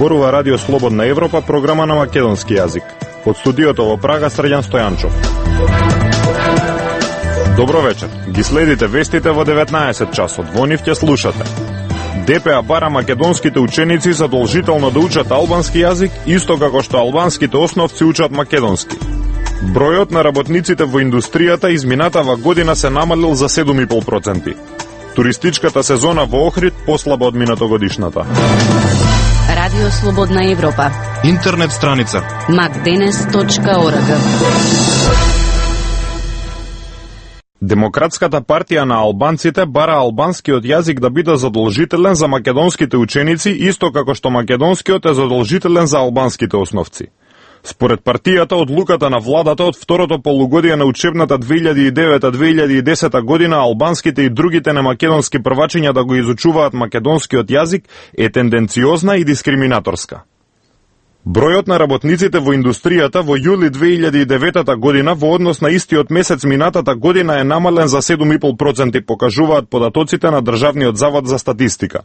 Зборува Радио Слободна Европа, програма на македонски јазик. Од студиото во Прага, Срđan Стојанчов. Добро вечер. Ги следите вестите во 19 часот. Во нив ќе слушате. ДПА бара македонските ученици задолжително да учат албански јазик, исто како што албанските основци учат македонски. Бројот на работниците во индустријата изминатава година се намалил за 7,5%. Туристичката сезона во Охрид послаба од минатогодишната. Радио Слободна Европа. Интернет страница macdenes.org. Демократската партија на албанците бара албанскиот јазик да биде задолжителен за македонските ученици, исто како што македонскиот е задолжителен за албанските основци. Според партијата, одлуката на владата од второто полугодие на учебната 2009-2010 година албанските и другите немакедонски првачиња да го изучуваат македонскиот јазик е тенденциозна и дискриминаторска. Бројот на работниците во индустријата во јули 2009 година во однос на истиот месец минатата година е намален за 7,5%, покажуваат податоците на Државниот завод за статистика.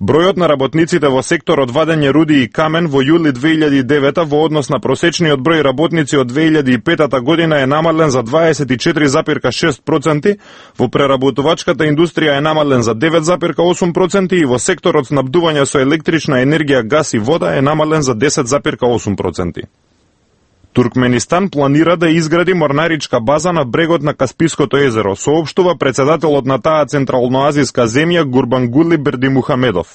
Бројот на работниците во секторот вадење руди и камен во јули 2009 во однос на просечниот број работници од 2005 година е намален за 24,6%, во преработувачката индустрија е намален за 9,8% и во секторот снабдување со електрична енергија, газ и вода е намален за 10,8%. Туркменистан планира да изгради морнаричка база на брегот на Каспиското езеро, соопштува председателот на таа централноазиска земја Гурбангули Бердимухамедов.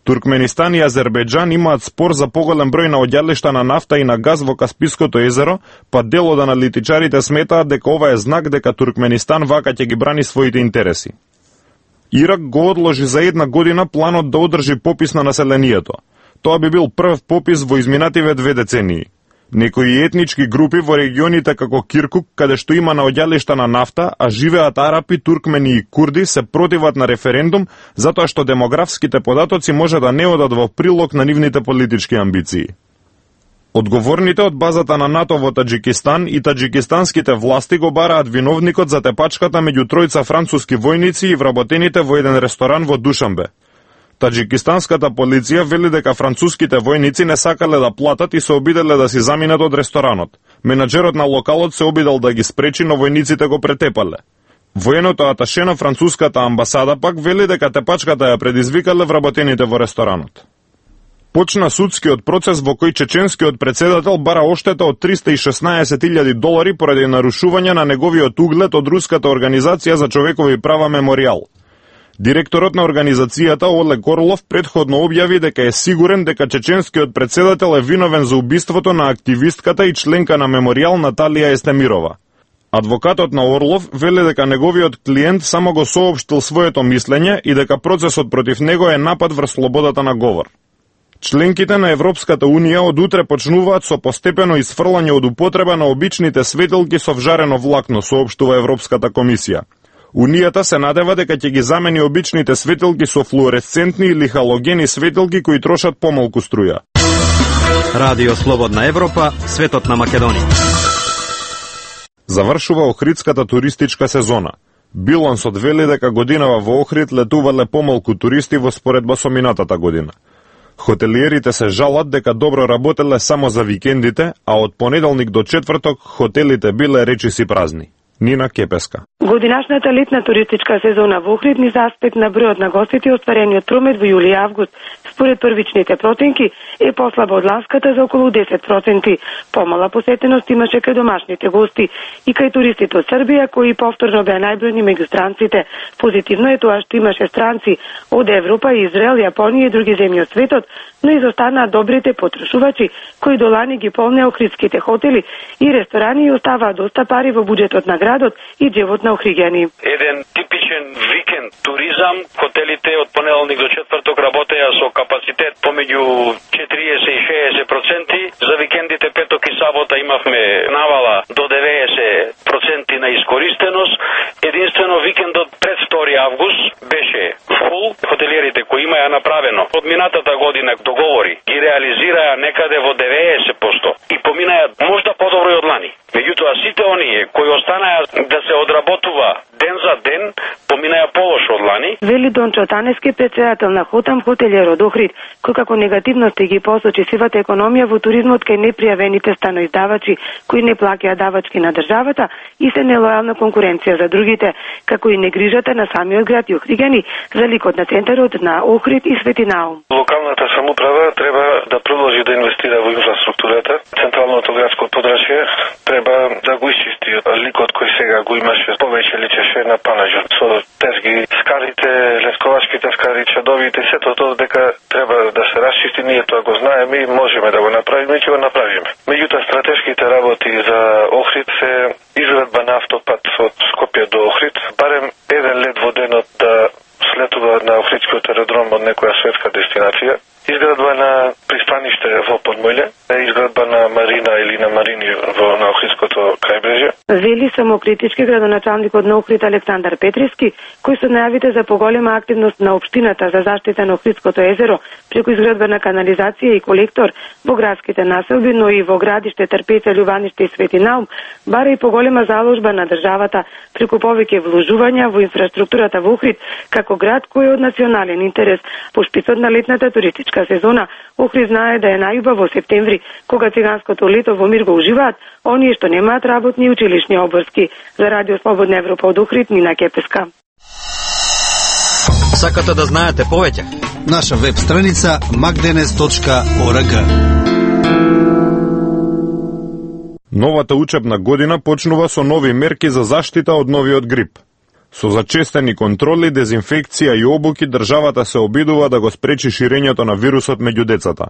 Туркменистан и Азербејџан имаат спор за поголем број на оѓалишта на нафта и на газ во Каспиското езеро, па дел од аналитичарите сметаат дека ова е знак дека Туркменистан вака ќе ги брани своите интереси. Ирак го одложи за една година планот да одржи попис на населението. Тоа би бил прв попис во изминативе 2 децении. Некои етнички групи во регионите како Киркук, каде што има наоѓалишта на нафта, а живеат арапи, туркмени и курди, се противат на референдум, затоа што демографските податоци може да не одат во прилог на нивните политички амбиции. Одговорните од базата на НАТО во Таџикистан и таџикистанските власти го бараат виновникот за тепачката меѓу тројца француски војници и вработените во еден ресторан во Душанбе. Таџикистанската полиција вели дека француските војници не сакале да платат и се обиделе да си заминат од ресторанот. Менаџерот на локалот се обидел да ги спречи, но војниците го претепале. Военото аташе на француската амбасада пак вели дека тепачката ја предизвикале вработените во ресторанот. Почна судскиот процес во кој чеченскиот председател бара оштета од $316,000 поради нарушување на неговиот углед од руската организација за човекови права Мемориал. Директорот на организацијата Олег Орлов предходно објави дека е сигурен дека чеченскиот председател е виновен за убиството на активистката и членка на Мемориал Наталија Естемирова. Адвокатот на Орлов вели дека неговиот клиент само го соопштил своето мислење и дека процесот против него е напад врз слободата на говор. Членките на Европската Унија од утре почнуваат со постепено исфрлање од употреба на обичните светилки со вжарено влакно, соопштува Европската комисија. Унијата се надева дека ќе ги замени обичните светилки со флуоресцентни или халогени светилки кои трошат помалку струја. Радио Слободна Европа, светот на Македонија. Завршува Охридската туристичка сезона. Билансот вели дека годинава во Охрид летувале помалку туристи во споредба со минатата година. Хотелиерите се жалат дека добро работеле само за викендите, а од понеделник до четврток хотелите биле речиси празни. Нина Кепеска. Годинашната летна туристичка сезона во Охрид низ аспект на бројот на гостите остварениот промет во јули и август, според првичните проценки, е послаба од ласката за околу 10%. Помала посетеност имаше кај домашните гости и кај туристите од Србија, кои повторно беа најбројни меѓу странците. Позитивно е тоа што имаше странци од Европа, Израел, Јапонија и други земји од светот, но изостанаа добрите потрошувачи, кои до лани ги полнеа охридските хотели и ресторани и оставаа доста пари во буџетот на градот и джебот на охриѓани. Еден типичен викенд туризам, хотелите од понеделник до четврток работеа со капацитет помеѓу 40 и 60%. За викендите петок и сабота имавме навала до 90% на искористеност. Единствено викендот пред 2 август беше фул. Хотелиерите кои имаја направено од минатата година договори ги реализираа некаде во 90% и поминаја можда подобро и од лани. Меѓутоа сите оние кои останаа да се одработува ден за ден, поминаја полошо од лани Вели Дончо Танески, председател на Хотам хотелиер од Охрид, кој како негативности ги посочи сивата економија во туризмот кај непријавените станоиздавачи кои не плаќаат давачки на државата и се нелојална конкуренција за другите, како и негрижата на самиот град и охриѓани за ликот на центарот на Охрид и Свети Наум. Локалната самоуправа треба да продолжи да инвестира во инфраструктурата. Централното градско подрачје треба да го исчисти ликот кој сега го имаше, повеќе личеше на Панажот со тезги, скарите, лесковачките скари, чадовите, сето тоа дека треба да се расчисти, ние тоа го знаеме и можеме да го направиме и ќе го направиме. Меѓутоа стратешките работи за Охрид се изградба на автопат од Скопје до Охрид, барем еден лет во денот да слетува на Охридскиот аеродром од некоја светска дестинација, изградба на пристаниште во Подмојле, изградба на марина или на марини на Охридското крајбрежје. Вели самокритички градоначалникот на Охрид Александар Петриски, кој со најавите за поголема активност на општината за заштита на Охридското езеро преку изградба на канализација и колектор во градските населби, но и во градиште Трпеца, Љубаниште и Свети Наум, бара и поголема заложба на државата преку повеќе вложувања во инфраструктурата во Охрид, како град кој е од национален интерес. По шпицот на летната туристичка сезона, Охрид знае да е најубав во септември, кога циганското лето во мир го уживаат оние што немаат работни и училишни обврски. За Радио Слободна Европа од Охрид, Нина Кепеска. Сакате да знаете повеќе? Наша веб страница magdenes.org. Новата учебна година почнува со нови мерки за заштита од новиот грип. Со зачестени контроли, дезинфекција и обуки, државата се обидува да го спречи ширењето на вирусот меѓу децата.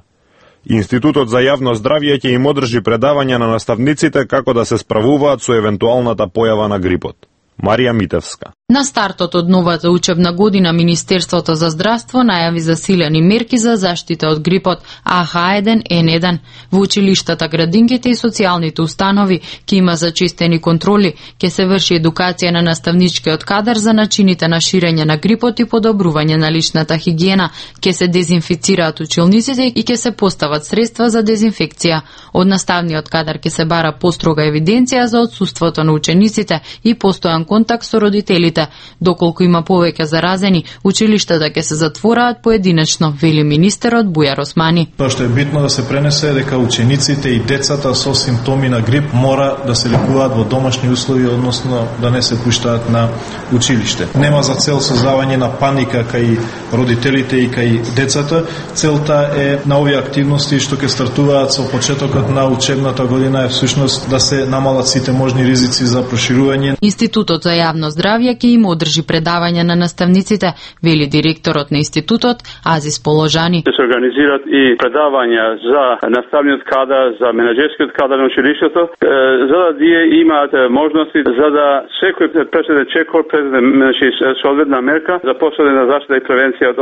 Институтот за јавно здравје ќе им одржи предавања на наставниците како да се справуваат со евентуалната појава на грипот. Марија Митевска. На стартот од новата учебна година Министерството за здравство најави засилени мерки за заштита од грипот AH1N1. Во училиштата, градинките и социјалните установи ќе има зачестени контроли, ќе се врши едукација на наставничкиот кадар за начините на ширење на грипот и подобрување на личната хигиена, ќе се дезинфицираат училниците и ќе се постават средства за дезинфекција. Од наставниот кадар ќе се бара построга евиденција за отсуството на учениците и постојан контакт со родителите. Доколку има повеќе заразени, училиштата ќе се затвораат поединечно, вели министерот Бујар Османи. Тоа што е битно да се пренесе е дека учениците и децата со симптоми на грип мора да се лекуваат во домашни услови, односно да не се пуштаат на училиште. Нема за цел создавање на паника кај родителите и кај децата. Целта е на овие активности што ќе стартуваат со почетокот на учебната година е всушност да се намалат сите можни ризици за проширување. Институтот за јавно здравје ќе им одржи предавања на наставниците, вели директорот на институтот Азис Положани. Се организираат и предавања за наставниот кадар, за менаџерскиот кадар на училиштето, за да тие имаат можности за да секој преседен чекор, соодветна мерка за последна заштита и превенција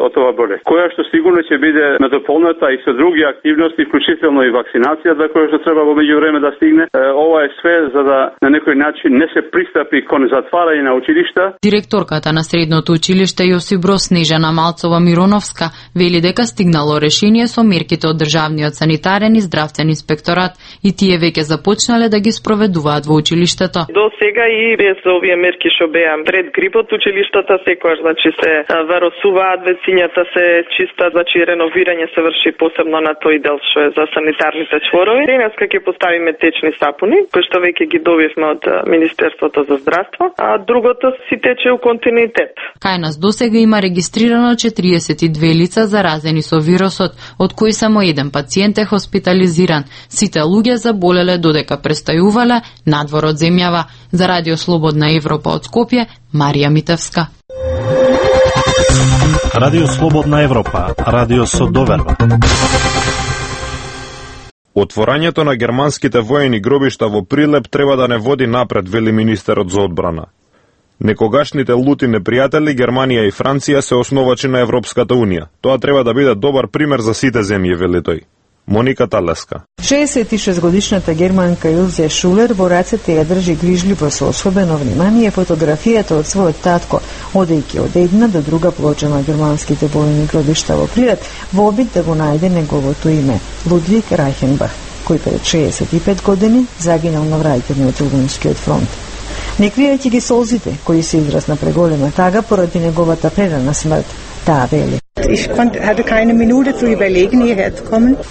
од ова болест, која што сигурно ќе биде надополната и со други активности, вклучително и вакцинацијата, која што треба во меѓувреме да стигне. Ова е све за да на некој начин не се пристапи кон затварање на училишта. Директорката на средното училиште Јосип Броз Снежана Малцова Мироновска вели дека стигнало решение со мерките од државниот санитарен и здравствен инспекторат и тие веќе започнале да ги спроведуваат во училиштето. До сега и без овие мерки што беа пред грипот, училиштата секогаш се варосуваат, вецињата се чистат, реновирање се врши посебно на тој дел што е за санитарните чворови. Денеска ќе поставиме течни сапуни, кои што веќе ги добивме од Министерството за здравство, а другото си тече у континуитет. Кај нас досега има регистрирано 42 лица заразени со вирусот, од кои само еден пациент е хоспитализиран. Сите луѓе заболеле додека престојувале надвор од земјава. За Радио Слободна Европа од Скопје, Марија Митевска. Радио Слободна Европа, радио со доверба. Отворањето на германските воени гробишта во Прилеп треба да не води напред, вели министерот за одбрана. Некогашните лути непријатели Германија и Франција се основачи на Европската Унија. Тоа треба да биде добар пример за сите земји, вели тој. Моника Талеска. 66-годишната германка Илзе Шулер во рацете ја држи грижливо со особено внимание фотографијата од својот татко, одејќи од една до друга плоча на германските војни гробишта во Прилеп во обид да го најде неговото име, Лудвиг Райхенбах, кој пред 65 години загинал на враќање од Илвенскиот фронт. Не кријајќи ги солзите, кои се израз на преголема тага поради неговата прерана смрт, таа вели.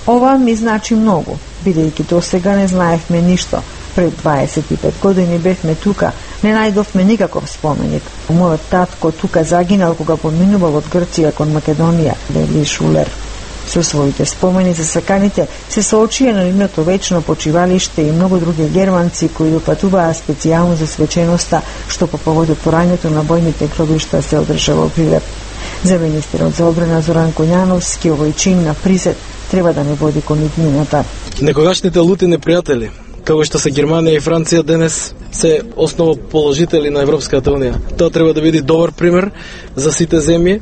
Ова ми значи многу, бидејќи до сега не знаевме ништо. Пред 25 години бевме тука, не најдовме никаков споменик. Мојот татко тука загинал кога поминувал од Грција кон Македонија, вели Шулер. Со своите спомени за саканите се соочија на нивното вечно почивалиште и многу други германци кои допатуваа специјално за свеченоста, што по повод отворањето на војните гробишта се одржава во Прилеп. За министерот за одбрана Зоран Коњановски, овој чин на присет треба да не води кон иднината. Некогашните лути непријатели, како што се Германија и Франција, денес се основоположители на Европската Унија. Тоа треба да биде добар пример за сите земји,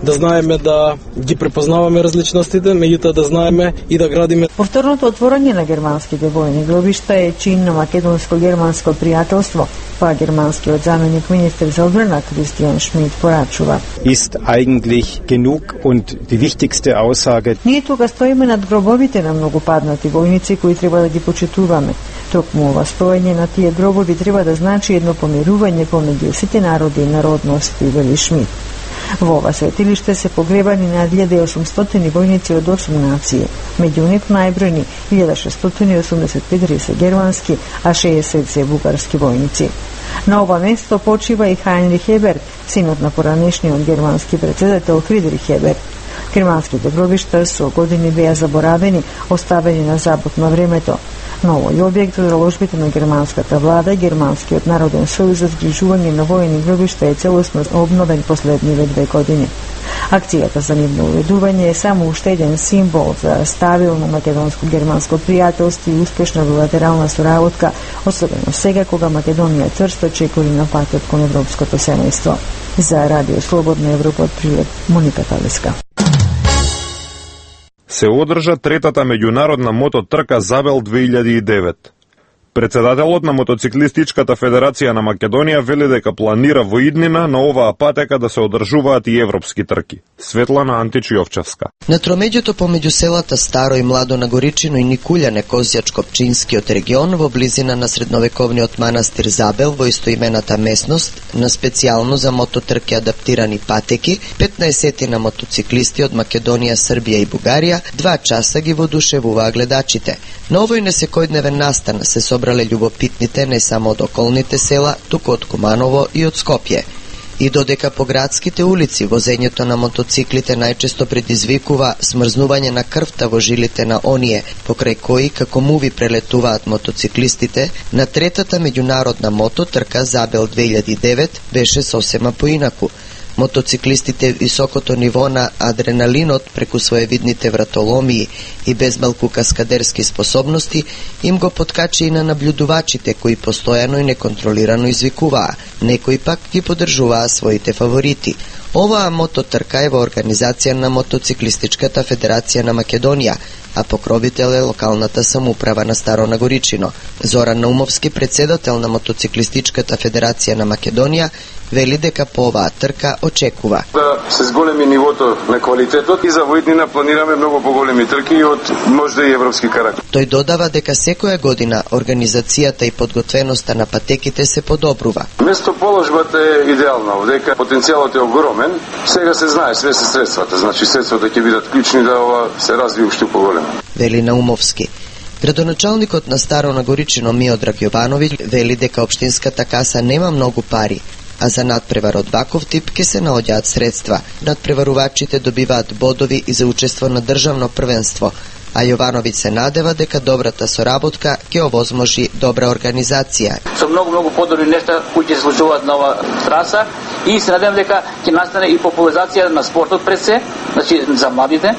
да знаеме да ги препознаваме различностите, меѓутоа да знаеме и да градиме. Повторното отворање на германските војни гробишта е чин на македонско-германско пријателство, па германскиот заменик министер за одбрана Кристијан Шмид порачува. Ist eigentlich genug und die wichtigste Aussage. Ние тука стоиме над гробовите на многу паднати војници кои треба да ги почитуваме. Токму ова стоење на тие гробови треба да значи едно помирување помеѓу сите народи и народности, вели Шмид. Во ова светилиште се погребани на 1800 војници од 8 нации. Меѓу нив најбројни 1684 се германски, а 60 се бугарски војници. На ова место почива и Хайнрих Хеберт, синот на поранешниот германски претседател Фридрих Хеберт. Германските гробишта со години беа заборавени, оставени на забот на времето. Но овој објект од заложбите на германската влада, Германскиот народен сојуз за згрижување на војни гробишта е целосно обновен последниве 2 години. Акцијата за нивно уредување е само уште еден символ за стабилно македонско-германско пријателство и успешна билатерална соработка, особено сега кога Македонија црсто чекори на патот кон европското семејство. За Радио Слободна Европа од Прилеп, Моника Талиска. Се одржа третата меѓународна мототрка Забел 2009. Председателот на Мотоциклистичката федерација на Македонија вели дека планира во иднина на оваа патека да се одржуваат и европски трки. Светлана Антич-Јовчевска. На тромеѓето помеѓу селата Старо и Младо на Горичино и Никулјане, Козјачко-Пчинскиот регион, во близина на средновековниот манастир Забел во истоимената местност, на специјално за мототрки адаптирани патеки, 15 на мотоциклисти од Македонија, Србија и Бугарија 2 часа ги воодушевуваа гледачите. На овој несекојдневен настан се собрале љубопитните не само од околните села, туку од Куманово и од Скопје. И додека по градските улици возењето на мотоциклите најчесто предизвикува смрзнување на крвта во жилите на оние покрај кои како муви прелетуваат мотоциклистите, на третата меѓународна мототрка Забел 2009 беше сосема поинаку. Мотоциклистите високото ниво на адреналинот преку своевидните вратоломии и безмалку каскадерски способности им го подкачи и на наблюдувачите кои постојано и неконтролирано извикуваа, некои пак ги поддржуваа своите фаворити. Оваа мототрка е во организација на Мотоциклистичката федерација на Македонија, а покровител е локалната самоуправа на Старо Нагоричино. Зоран Наумовски, председател на Мотоциклистичката федерација на Македонија, вели дека по оваа трка очекува да се зголеми нивото на квалитетот и за воиднина планираме многу поголеми трки од можда и европски карактер. Тој додава дека секоја година организацијата и подготвеноста на патеките се подобрува. Местоположбата е идеална, дека потенцијалот е огромен. Сега се знае све се средствата, значи средствата ќе бидат клучни да ова се развие уште поголемо. Вели Наумовски. Градоначалникот на Старо Нагоричино Миодраг Јовановиќ вели дека општинската каса нема многу пари, а за надпревар од ваков тип ке се наоѓаат средства. Надпреварувачите добиваат бодови и за учество на државно првенство, а Јовановиќ се надева дека добрата соработка ќе овозможи добра организација. Со многу подобри нешта кои ќе се случуваат на ова траса и се надевам дека ќе настане и популаризација на спортот пред се, значи за младите,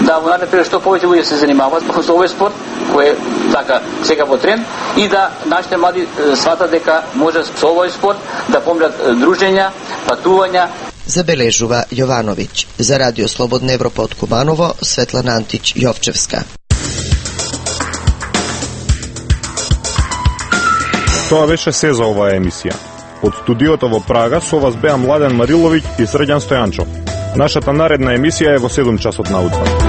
да во нареден период што повеќе луѓе се занимаваат со овој спорт кој е така сега во тренд и да нашите млади сватат дека може со овој спорт да помнат дружења, патувања. Забележува Јовановиќ. За Радио Слободна Европа од Куманово, Светлана Антич-Јовчевска. Тоа беше се за оваа емисија. Од студиото во Прага со вас беа Младен Мариловиќ и Срđan Стојанчов. Нашата наредна емисија е во 7 часот наутро.